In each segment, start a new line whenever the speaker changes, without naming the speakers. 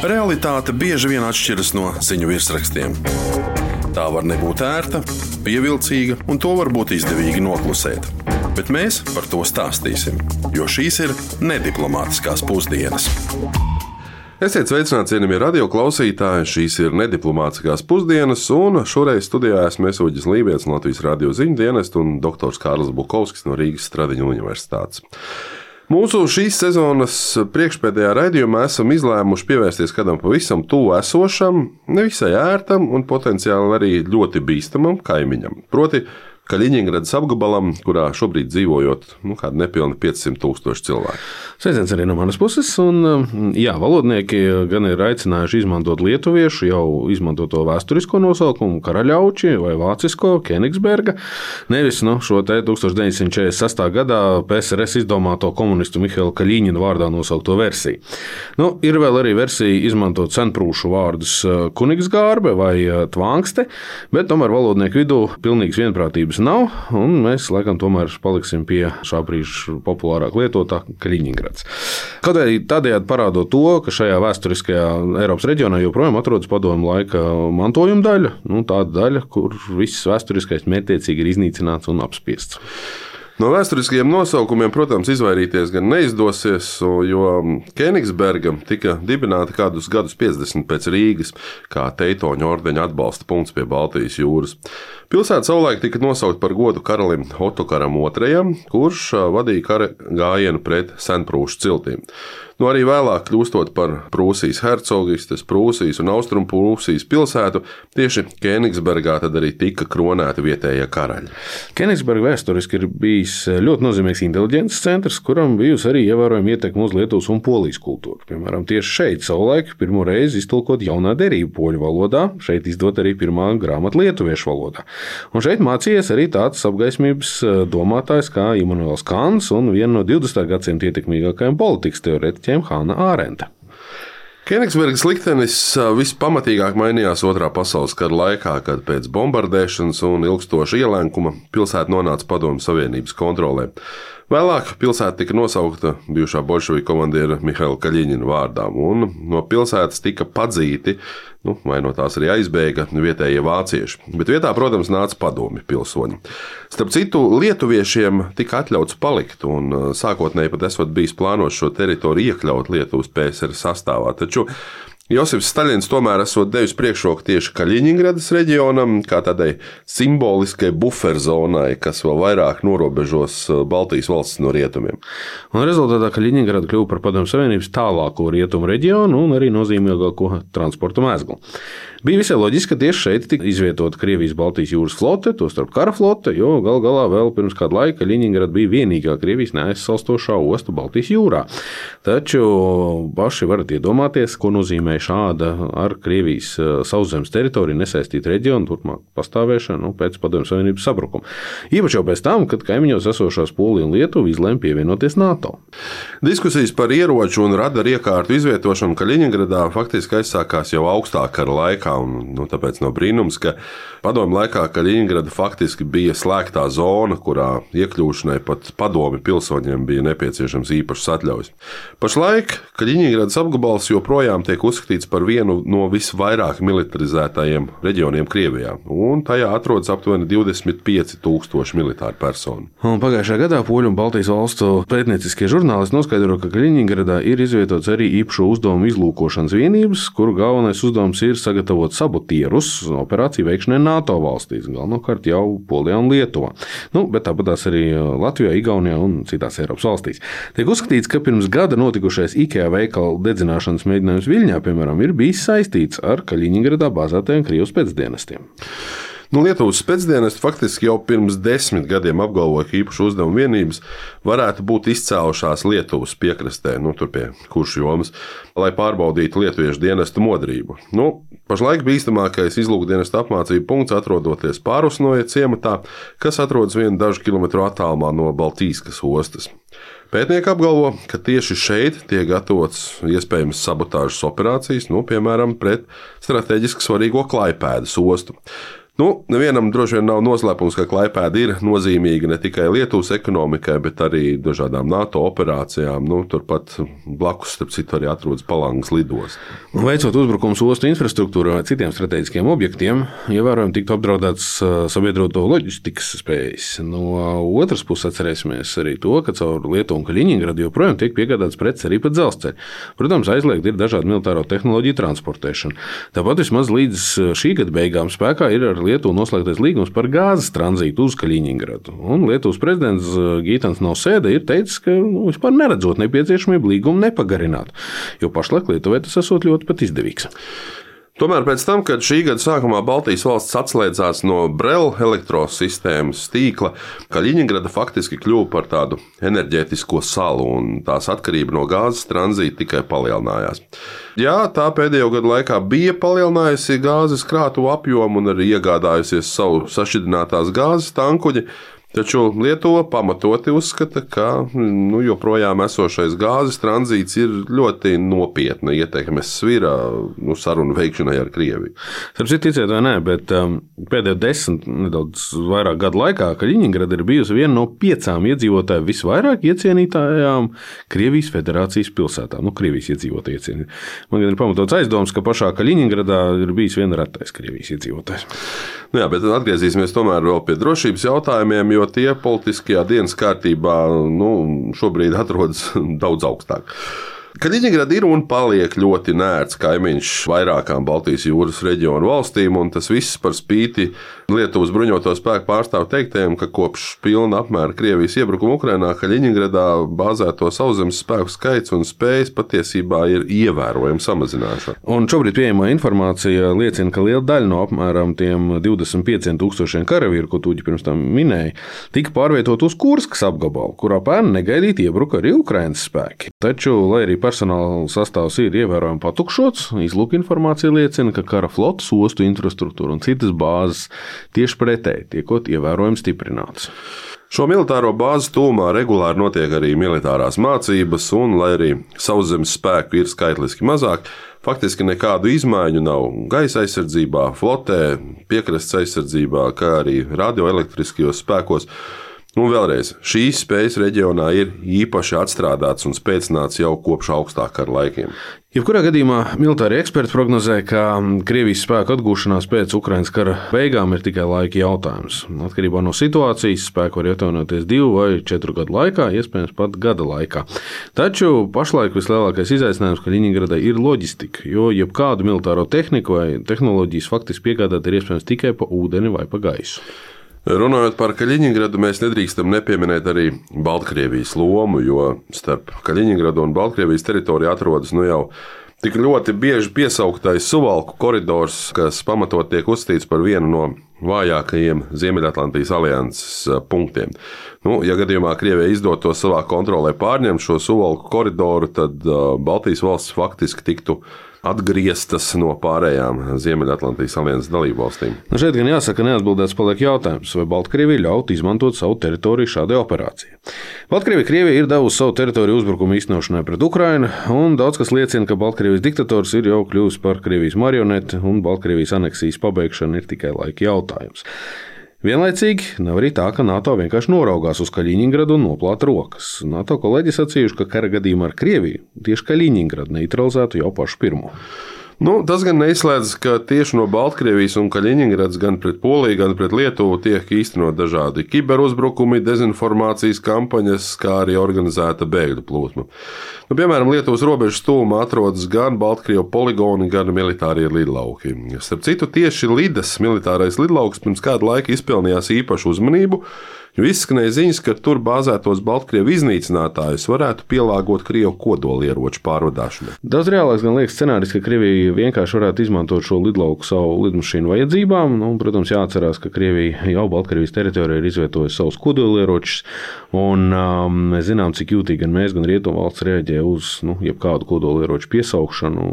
Realitāte bieži vien atšķiras no ziņu virsrakstiem. Tā var nebūt ērta, pievilcīga, un to var būt izdevīgi noklusēt. Bet mēs par to stāstīsim, jo šīs ir nediplomātiskās pusdienas. Esiet sveicināti, cienījamie radio klausītāji. Šīs ir nediplomātiskās pusdienas, un šoreiz studijā esmu Uģis Lībijams no Latvijas radio ziņu dienesta un doktors Kārlis Bukovskis no Rīgas Stradiņu universitātes. Mūsu šīs sezonas priekšpēdējā raidījumā esam izlēmuši pievērsties kādam pavisam tuvu esošam, nevisai ērtam un potenciāli arī ļoti bīstamam kaimiņam. Proti, Kaļiņingradas apgabalam, kurā šobrīd dzīvojot kādi nepilni 500,000 cilvēku.
Sveiciens arī no manas puses. Un, jā, valodnieki gan ir aicinājuši izmantot lietuviešu jau izmantoto vēsturisko nosaukumu Karaļauči vai vācisko Kenigsberga, nevis šo te 1946. gadā PSRS izdomāto komunistu Mihaila Kaļiņina vārdā nosaukto versiju. Ir vēl arī versija izmantot senprūšu vārdus Kunigsgārbe vai Tvāngste, bet tomēr valodnieku vidū pilnīgas vienprātības nav, un mēs laikam tomēr paliksim pie šā brīža populārāk lietotā Kaļiņingrads. Kaut arī tādējādi parādot to, ka šajā vēsturiskajā Eiropas reģionā joprojām atrodas padomu laika mantojuma daļa, tāda daļa, kur viss vēsturiskais mērķtiecīgi ir iznīcināts un apspiests.
No vēsturiskajiem nosaukumiem, protams, izvairīties gan neizdosies, jo Kenigsberga tika dibināta kādus gadus 50 pēc Rīgas, kā Teitoņu ordeņa atbalsta punkts pie Baltijas jūras. Pilsēta savulaik tika nosaukt par godu karalim Otokaram II, kurš vadīja kara gājienu pret senprūšu ciltīm. Arī vēlāk kļūstot par Prūsijas hercogistes, Prūsijas un Austrumprūsijas pilsētu, tieši Kenigsbergā tad arī tika kronēti vietējie karaļi.
Kenigsberga vēsturiski ir bijis ļoti nozīmīgs inteliģences centrs, kuram bijusi arī ievērojama ietekme uz Lietuvas un Polijas kultūru. Piemēram, tieši šeit savulaik pirmo reizi iztulkot jaunā derība poļu valodā, šeit izdot arī pirmā grāmata lietuviešu valodā. Un šeit mācījies arī tāds apgaismības domātājs kā Immanuels Kants un viena no 20. gadsimta ietekmīgākajiem politikas teorētiķiem Hana Ārenta.
Kenigsbergas liktenis vispamatīgāk mainījās Otrā pasaules kara laikā, kad pēc bombardēšanas un ilgstoša ielenkuma pilsēta nonāca Padomju Savienības kontrolē. Vēlāk pilsēta tika nosaukta bijušā bolševiku komandiera Mihaila Kaļiņina vārdā, un no pilsētas tika padzīti, vai no tās arī aizbēga vietējie vācieši. Bet vietā, protams, nāca padomju pilsoņi. Starp citu, lietuviešiem tika atļauts palikt, un sākotnēji pat esot bijis plānots šo teritoriju iekļaut Lietuvas PSR sastāvā. Taču Josifs Staļins tomēr esot devis priekšroku tieši Kaļiņingradas reģionam, kā tādai simboliskai buferzonai, kas vēl vairāk norobežos Baltijas valstis no rietumiem.
Un rezultātā Kaļiņingrada kļuva par Padomju Savienības tālāko rietumu reģionu un arī nozīmīgāko transporta mēzglu. Bija visai loģiski, ka tieši šeit tika izvietota Krievijas Baltijas jūras flote, tostarp kara flote, jo gal galā vēl pirms kāda laika Kaļiņingrada bija vienīgā Krievijas neaizsalstošā osta Baltijas jūrā. Taču paši varat iedomāties, ko nozīmē šāda ar Krievijas sauszemes teritoriju nesaistīta reģiona turpmāk pastāvēšana pēc Padomju Savienības sabrukuma. Īpaši jau pēc tam, kad kaimiņos esošās Polija un Lietuva izlēma pievienoties NATO.
Diskusijas par ieroču un radaru iekārtu izvietošanu Kaļiņingradā faktiski aizsākās jau augstākā kara laikā. Tāpēc nav brīnums, ka padomju laikā Kaļiņingrada faktiski bija slēgtā zona, kurā iekļūšanai pat padomju pilsoņiem bija nepieciešams īpašs atļaujas. Pašlaik Kaļiņingradas apgabals joprojām tiek uzskatīts par vienu no visvairāk militarizētajiem reģioniem Krievijā, un tajā atrodas aptuveni 25,000 militāru personu.
Pagājušajā gadā Poļu un Baltijas valstu pētnieciskie žurnālisti noskaidro, ka Kaļiņingradā ir izvietots arī īpašo uzdevumu izlūkošanas vienības, kuru galvenais uzdevums ir sagatavot sabotierus operāciju veikšanai NATO valstīs, galvenokārt jau Polijā un Lietuvā. Bet tāpatās arī Latvijā, Igaunijā un citās Eiropas valstīs. Tiek uzskatīts, ka pirms gada notikušais IKEA veikala dedzināšanas mēģinājums Viļņā, piemēram, ir bijis saistīts ar Kaļiņingradā bāzētajiem Krievijas spēcdienestiem.
Lietuvas spēcdienesti faktiski jau pirms 10 gadiem apgalvoja, ka īpašu uzdevumu vienības varētu būt izcēlušās Lietuvas piekrastē, tur pie Kuršjomas, lai pārbaudītu lietuviešu dienestu modrību. Pašlaik bīstamākais izlūkdienesta apmācību punkts atrodoties Pārusnoja ciematā, kas atrodas dažu kilometru attālumā no Baltīskas ostas. Pētnieki apgalvo, ka tieši šeit tiek gatavots iespējamas sabotāžas operācijas, piemēram, pret strateģiski svarīgo Klaipēdas ostu. Nevienam droši vien nav noslēpums, ka Klaipēda ir nozīmīga ne tikai Lietuvas ekonomikai, bet arī dažādām NATO operācijām. Turpat blakus, starp citu, arī atrodas Palangas lidosta.
Veicot uzbrukums ostu infrastruktūrai vai citiem strateģiskiem objektiem, ievērojami tiktu apdraudēts sabiedroto loģistikas spējas. No otras puses atcerēsimies arī to, ka caur Lietuvu un Kaļiņingradu joprojām tiek piegādāts preces arī pa dzelzceļu. Protams, aizliegta ir dažādu militāro tehnoloģiju transportēšana. Tāpat vismaz līdz šī gada beigām spēkā ir ar Lietuvu noslēgtais līgums par gāzes tranzītu uz Kaļiņingradu. Un Lietuvas prezidents Gitans Nausēda ir teicis, ka vispār neredzot nepieciešamību līgumu nepagarināt, jo pašlaik Lietuvai tas esot ļoti pat izdevīgs.
Tomēr pēc tam, kad šī gada sākumā Baltijas valsts atslēdzās no Brela elektrosistēmas tīkla, Kaļiņingrada faktiski kļuva par tādu enerģētisko salu, un tās atkarība no gāzes tranzīta tikai palielinājās. Jā, tā pēdējo gadu laikā bija palielinājusi gāzes krātuvu apjomu un arī iegādājusies savu sašķidrinātās gāzes tankuģi. Taču Lietuva pamatoti uzskata, ka joprojām esošais gāzes tranzīts ir ļoti nopietna ietekmes svira sarunu veikšanai ar Krieviju.
Sapratu, ticiet vai nē, bet pēdējo 10, nedaudz vairāk gadu laikā Kaļiņingrada ir bijusi viena no 5 iedzīvotāju visvairāk iecienītājām Krievijas federācijas pilsētām. Krievijas iedzīvotāji iecienīti. Man gan ir pamatots aizdoms, ka pašā Kaļiņingradā ir bijis viena retais Krievijas iedzīvotājs.
Jā, bet atgriezīsimies tomēr vēl pie drošības jautājumiem, jo tie politiskajā dienas kārtībā šobrīd atrodas daudz augstāk. Kaļiņingrada ir un paliek ļoti nērts kaimiņš vairākām Baltijas jūras reģionu valstīm, un tas viss par spīti Lietuvas bruņoto spēku pārstāvu teiktajiem, ka kopš pilna apmēra Krievijas iebrukuma Ukrainā Kaļiņingradā bāzēto sauszemes spēku skaits un spējas patiesībā ir ievērojami samazinājušās.
Un šobrīd pieejamā informācija liecina, ka liela daļa no apmēram tiem 25,000 karavīru, ko Tūģi pirms tam minēja, tika pārvietot uz Kurskas apgabalu, kurā pērn negaidīti iebruka arī Ukrainas spēki. Taču, lai arī personāla sastāvs ir ievērojami patukšots, izlūk informācija liecina, ka kara flotes, ostu infrastruktūra un citas bāzes tieši pretēji tiekot ievērojami stiprinātas.
Šo militāro bāzi tūmā regulāri notiek arī militārās mācības, un, lai arī sauszemes spēku ir skaitliski mazāk, faktiski nekādu izmaiņu nav gaisa aizsardzībā, flotē, piekrastes aizsardzībā, kā arī radioelektriskajos spēkos. Un vēlreiz, šīs spējas reģionā ir īpaši atstrādātas un spēcināts jau kopš augstākā kara laikiem.
Jebkurā gadījumā militāri eksperti prognozē, ka Krievijas spēku atgūšanās pēc Ukrainas kara beigām ir tikai laika jautājums. Atkarībā no situācijas spēku var atjaunoties 2 vai 4 gadu laikā, iespējams pat gada laikā. Taču pašlaik vislielākais izaicinājums Kaļiņingradai ir loģistika, jo jebkādu militāro tehniku vai tehnoloģijas faktiski piegādāt ir iespējams tikai pa ūdeni vai pa gaisu.
Runājot par Kaļiņingradu, mēs nedrīkstam nepieminēt arī Baltkrievijas lomu, jo starp Kaļiņingradu un Baltkrievijas teritoriju atrodas jau tik ļoti bieži piesauktais Suvalku koridors, kas pamatot tiek uzskatīts par vienu no vājākajiem Ziemeļatlantijas alianses punktiem. Ja gadījumā Krievijai izdotos savā kontrolē pārņemt šo Suvalku koridoru, tad Baltijas valsts faktiski tiktu atgrieztas no pārējām Ziemeļatlantijas alianses dalībvalstīm.
Šeit gan jāsaka, neatbildēts paliek jautājums, vai Baltkrievija ļaut izmantot savu teritoriju šādai operācijai. Baltkrievija ir devusi savu teritoriju uzbrukumu īstenošanai pret Ukrainu, un daudz kas liecina, ka Baltkrievijas diktators ir jau kļuvis par Krievijas marioneti, un Baltkrievijas aneksijas pabeigšana ir tikai laika jautājums. Vienlaicīgi nav arī tā, ka NATO vienkārši noraugās uz Kaļiņingradu un noplāta rokas. NATO kolēģi sacījuši, ka kara gadījumā ar Krieviju tieši Kaļiņingradu neutralizētu jau pašu pirmo.
Tas gan neizslēdz, ka tieši no Baltkrievijas un Kaļiņingradas gan pret Poliju, gan pret Lietuvu tiek īstenot dažādi kiberuzbrukumi, dezinformācijas kampaņas, kā arī organizēta bēgļu plūsma. Piemēram, Lietuvas robežas tuvumā atrodas gan Baltkrievu poligoni, gan militārie lidlauki. Starp citu, tieši Lidas militārais lidlauks pirms kāda laika izpelnījās īpašu uzmanību, jo izskanēja ziņas, ka tur bāzētos Baltkrievu iznīcinātājus varētu pielāgot Krievu kodolieroču pārvadāšanai.
Daudz reālāks gan liekas scenārijs, ka Krievija vienkārši varētu izmantot šo lidlauku savu lidmašīnu vajadzībām. Protams, jāatcerās, ka Krievija jau Baltkrievijas teritorijā ir izvietojusi savus kodolieročus, un mēs zinām, cik jūtīgi gan mēs, gan Rietumvalsts reaģē uz jebkādu kodolieroču piesaukšanu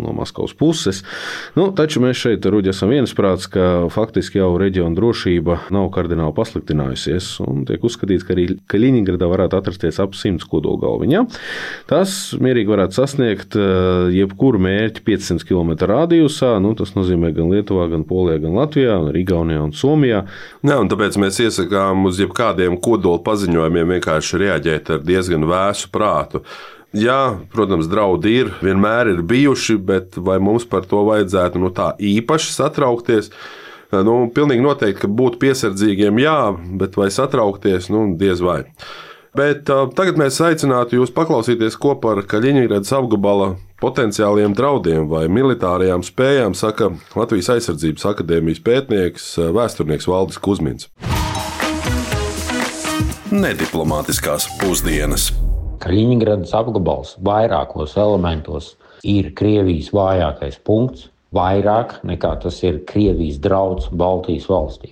no Maskavas puses. Taču mēs šeit, Ruģi, esam viensprāts, ka faktiski jau reģiona drošība nav kardināli pasliktinājusies. attīstīsies, un tiek uzskatīts, ka arī Kaļiņingradā varētu atrasties ap 100 kodolgalviņām. Tas mierīgi varētu sasniegt jebkuru mērķi 500 km radiusā. Tas nozīmē gan Lietuvā, gan Polijā, gan Latvijā, gan Igaunijā un Somijā.
Jā, un tāpēc mēs iesakām uz jebkādiem kodola paziņojumiem vienkārši reaģēt ar diezgan vēsu prātu. Jā, protams, draudi vienmēr ir bijuši, bet vai mums par to vajadzētu tā īpaši satraukties? Pilnīgi noteikti, ka būt piesardzīgiem, jā, bet vai satraukties, diez vai. Bet tagad mēs aicinātu jūs paklausīties, ko par Kaļiņingradas apgabala potenciāliem draudiem vai militārajām spējām saka Latvijas Aizsardzības akadēmijas pētnieks, vēsturnieks Valdis Kuzmins.
Nediplomātiskās pusdienas.
Kaļiņingradas apgabals vairākos elementos ir Krievijas vājākais punkts, vairāk nekā tas ir Krievijas drauds Baltijas valstīm.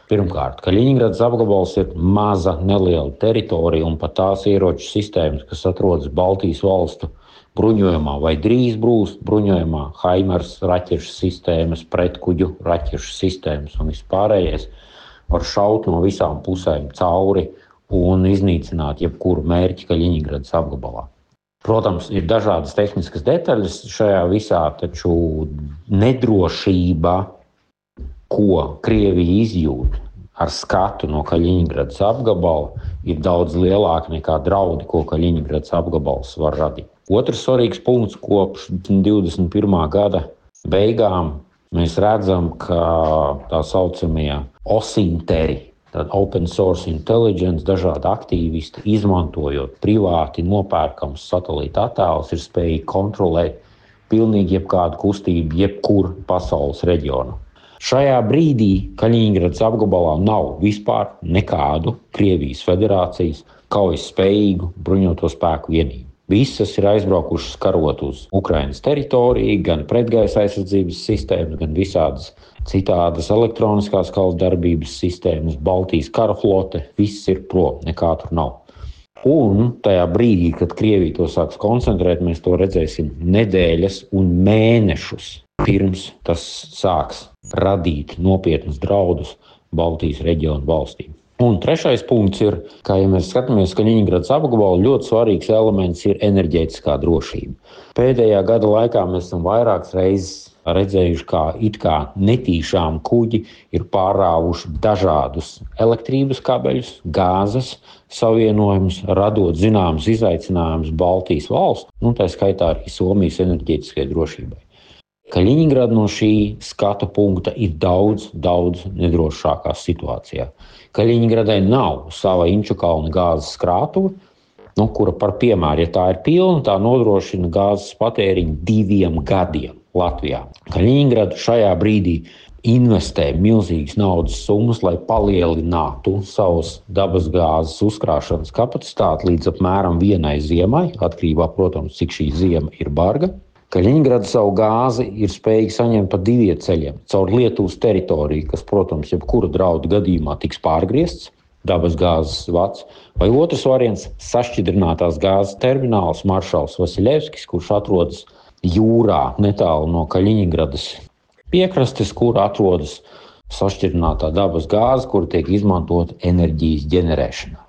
Pirmkārt, Kaļiņingradas apgabals ir maza, neliela teritorija un pat tās ieroču sistēmas, kas atrodas Baltijas valstu bruņojumā vai drīz būs bruņojumā, Haimars raķešu sistēmas, pretkuģu raķešu sistēmas un vispārējais var šaut no visām pusēm cauri un iznīcināt jebkuru mērķi Kaļiņingradas apgabalā. Protams, ir dažādas tehniskas detaļas šajā visā, taču nedrošība, ko Krievija izjūt ar skatu no Kaļiņingradas apgabala, ir daudz lielāka nekā draudi, ko Kaļiņingradas apgabals var radīt. Otrs svarīgs punkts kopš 21. gada beigām mēs redzam, ka tā saucamie osinteri, tad Open Source Intelligence, dažādi aktīvisti, izmantojot privāti nopērkams satelīta attēlus, ir spējīgi kontrolēt pilnīgi jebkādu kustību, jebkur pasaules reģionu. Šajā brīdī Kaļiņingradas apgabalā nav vispār nekādu Krievijas federācijas kaujas spējīgu bruņoto spēku vienību. Visas ir aizbraukušas karot uz Ukrainas teritoriju, gan pretgaisa aizsardzības sistēmas, gan visādas citādas elektroniskās kaujas darbības sistēmas, Baltijas kara flote, viss ir prom, nekā tur nav. Un tajā brīdī, kad Krievija to sāks koncentrēt, mēs to redzēsim nedēļas un mēnešus pirms tas sāks radīt nopietnus draudus Baltijas reģionu valstīm. Un trešais punkts ir, ka, ja mēs skatāmies Kaļiņingradas apgabalu, ļoti svarīgs elements ir enerģētiskā drošība. Pēdējā gada laikā mēs esam vairākas reizes redzējuši, kā it kā netīšām kuģi ir pārāvuši dažādus elektrības kabeļus, gāzes savienojumus, radot zināmas izaicinājumus Baltijas valsts, tā skaitā arī Somijas enerģētiskajai drošībai. Kaļiņingrada no šī skatu punkta ir daudz nedrošākā situācijā. Kaļiņingradai nav sava Inčukalna gāzes krātuve, kura par piemēru, ja tā ir pilna, tā nodrošina gāzes patēriņu 2 gadiem Latvijā. Kaļiņingrada šajā brīdī investē milzīgas naudas summas, lai palielinātu savus dabasgāzes uzkrāšanas kapacitāti līdz apmēram 1 ziemai, atkarībā, protams, cik šī ziema ir barga. Kaļiņingrada savu gāzi ir spējīga saņemt pa 2 ceļiem. Caur Lietuvas teritoriju, kas, protams, jebkura draudu gadījumā tiks pārgriezts, dabasgāzes vats, vai otrs variants - sašķidrinātās gāzes termināls Maršals Vasiļevskis, kurš atrodas jūrā netālu no Kaļiņingradas piekrastes, kur atrodas sašķidrinātā dabas gāze, kur tiek izmantota enerģijas ģenerēšanā.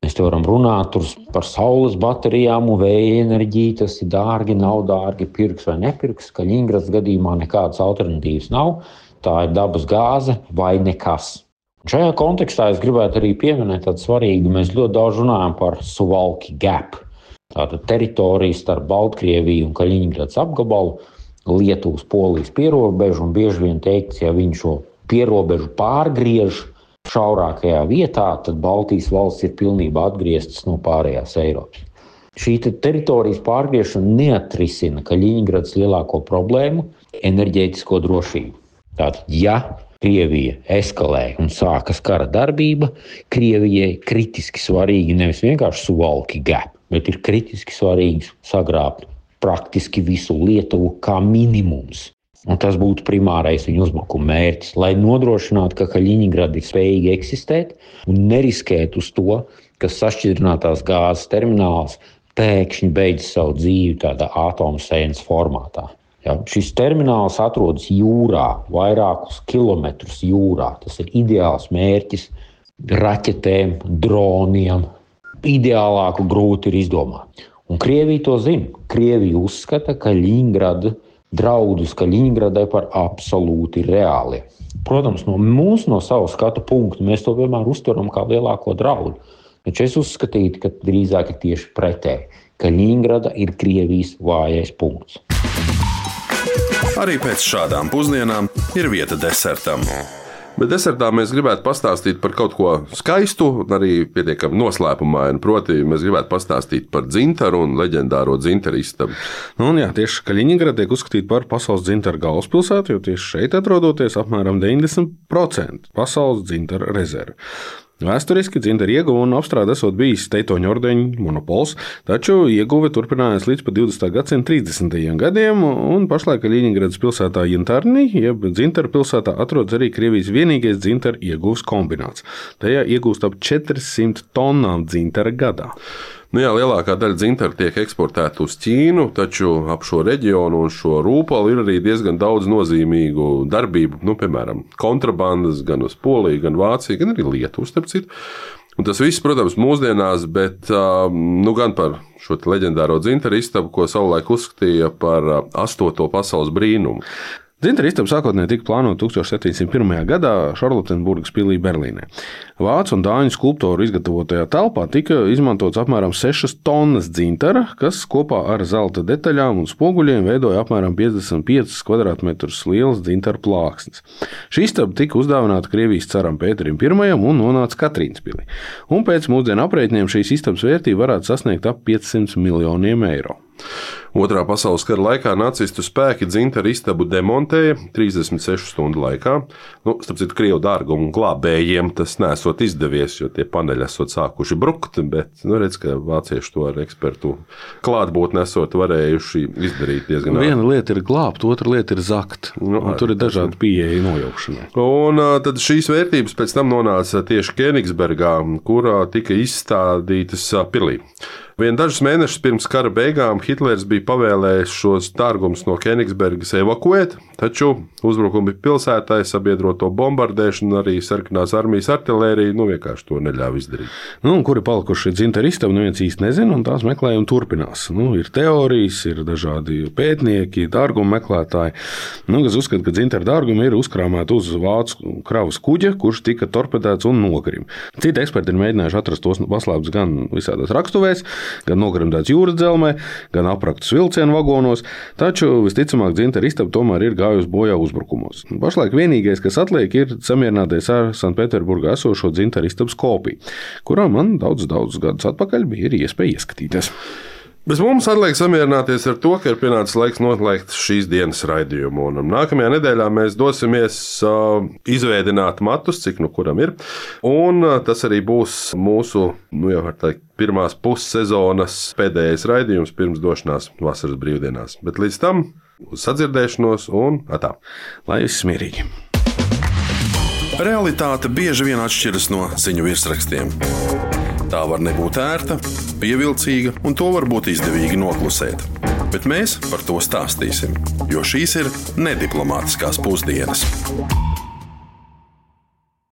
Mēs te varam runāt par saules baterijām un vēja enerģiju, tas ir dārgi, nav dārgi, pirks vai nepirks. Kaļiņingradas gadījumā nekādas alternatīvas nav, tā ir dabas gāze vai nekas. Šajā kontekstā es gribētu arī pieminēt tādu svarīgu, mēs ļoti daudz runājam par Suvalki Gap. Tātad teritorija starp Baltkrieviju un Kaļiņingradas apgabalu, Lietuvas, Polijas pierobežu, un bieži vien teikts, ja viņi šo pierobežu pārgriež šaurākajā vietā, tad Baltijas valsts ir pilnībā atgrieztas no pārējās Eiropas. Šī teritorijas pārgriešana neatrisina Kaļiņingradas lielāko problēmu – enerģētisko drošību. Tātad, ja Krievija eskalē un sākas kara darbība, Krievijai kritiski svarīgi nevis vienkārši Suvalki Gap, bet ir kritiski svarīgi sagrābt praktiski visu Lietuvu kā minimums. Un tas būtu primārais viņu uzbrukuma mērķis, lai nodrošinātu, ka Kaļiņingrada ir spējīga eksistēt un neriskēt uz to, ka sašķidrinātās gāzes termināls pēkšņi beidz savu dzīvi tādā atomsēnes formātā. Ja, šis termināls atrodas jūrā, vairākus kilometrus jūrā. Tas ir ideāls mērķis raķetēm, droniem. Ideālāku grūti ir izdomāt. Un Krievija to zina. Krievija uzskata, ka draudus Kaļiņgradai par absolūti reāli. Protams, no savu skatu punktu mēs to vienmēr uztveram kā lielāko draudu. Taču es uzskatītu, ka drīzāk ir tieši pretēji. Kaļiņgrada ir Krievijas vājais punkts.
Arī pēc šādām pusdienām ir vieta desertam.
Bet desertā mēs gribētu pastāstīt par kaut ko skaistu un arī pietiekami noslēpumainu. Proti, mēs gribētu pastāstīt par dzintaru un leģendāro dzintaru istabu.
Tieši Kaļiņgrada tiek uzskatīta par pasaules dzintaru galvaspilsētu, jo tieši šeit atrodoties apmēram 90% pasaules dzintaru rezervu. Vēsturiski dzintaru ieguve un apstrāde esot bijis Teitoņu ordeņa monopols, taču ieguve turpinājās līdz pat 20. gadsimta 30. gadiem, un pašlaik Kaļiņgradas pilsētā Jantarni, jeb dzintaru pilsētā, atrodas arī Krievijas vienīgais dzintaru ieguves kombināts. Tajā iegūst ap 400 tonnām dzintara gadā.
Lielākā daļa dzintaru tiek eksportēta uz Ķīnu, taču ap šo reģionu un šo rūpali ir arī diezgan daudz nozīmīgu darbību, piemēram, kontrabandas gan uz Poliju, gan Vāciju, gan arī Lietuvu, starp citu. Un tas viss, protams, mūsdienās, bet gan par šo leģendāro dzintaru istabu, ko savulaik uzskatīja par 8. pasaules brīnumu.
Dzintaru istaba sākotnēji tika plānota 1701. gadā Šarlotenburgas pilī Berlīnē. Vācu un dāņu skulptoru izgatavotajā telpā tika izmantots apmēram 6 tonnas dzintara, kas kopā ar zelta detaļām un spoguļiem veidoja apmēram 55 kvadrātmetrus liels dzintara plāksnes. Šī istaba tika uzdāvināta Krievijas caram Pēterim I un nonāca Katrīnas pilī. Un pēc mūsdienu aprēķiniem šīs istabas vērtība varētu sasniegt ap 500 miljoniem eiro.
Otrā pasaules kara laikā nacistu spēki dzintaru istabu demontēja 36 stundu laikā. Starp citu, Krievu dārgumu glābējiem tas nesot izdevies, jo tie paneļi esot sākuši brukt, bet redz, ka vācieši to ar ekspertu klātbūtni esot varējuši izdarīt diezgan ātri.
Viena lieta ir glābt, otra lieta ir zakt. Tur ir dažādi pieeja nojaukšanai.
Un tad šīs vērtības pēc tam nonāca tieši Kenigsbergā, kurā tika izstādītas pilī. Dažus mēnešus pirms kara beigām Hitlers bija pavēlējis šos dārgumus no Kenigsbergas evakuēt, taču uzbrukumi pilsētai, sabiedroto bombardēšanu, arī sarkanās armijas artilērija vienkārši to neļāva izdarīt.
Kuri palikuši dzintaru istabu, neviens īsti nezina, un tās meklējumi turpinās. Ir teorijas, ir dažādi pētnieki, dārgumu meklētāji, kas uzskata, ka dzintaru dārgumi ir uzkrāmēti uz vācu kravas kuģa, kurš tika torpedēts un nogarim. Citi eksperti ir mēģinājuši atrast tos paslēptus gan visādās rakstuvēs, gan nogrimdēts jūras dzelmē, gan apraktus vilcienu vagonos, taču visticamāk dzintaru istaba tomēr ir gājusi bojā uzbrukumos. Pašlaik vienīgais, kas atliek, ir samierināties ar Sanktpēterburgā esošo dzintaru istabas kopiju, kurā man daudz gadus atpakaļ bija iespēja ieskatīties.
Bez mums atliek samierināties ar to, ka ir pienācis laiks noslēgt šīs dienas raidījumu. Un nākamajā nedēļā mēs dosimies izveidināt matus, cik kuram ir. Un tas arī būs mūsu, jau var teikt, pirmās pussezonas pēdējais raidījums pirms došanās vasaras brīvdienās. Bet līdz tam uz sadzirdēšanos un atā.
Lai viss mierīgi.
Realitāte bieži vien atšķiras no ziņu virsrakstiem. Tā var nebūt ērta, pievilcīga, un to var būt izdevīgi noklusēt. Bet mēs par to stāstīsim, jo šīs ir nediplomātiskās pusdienas.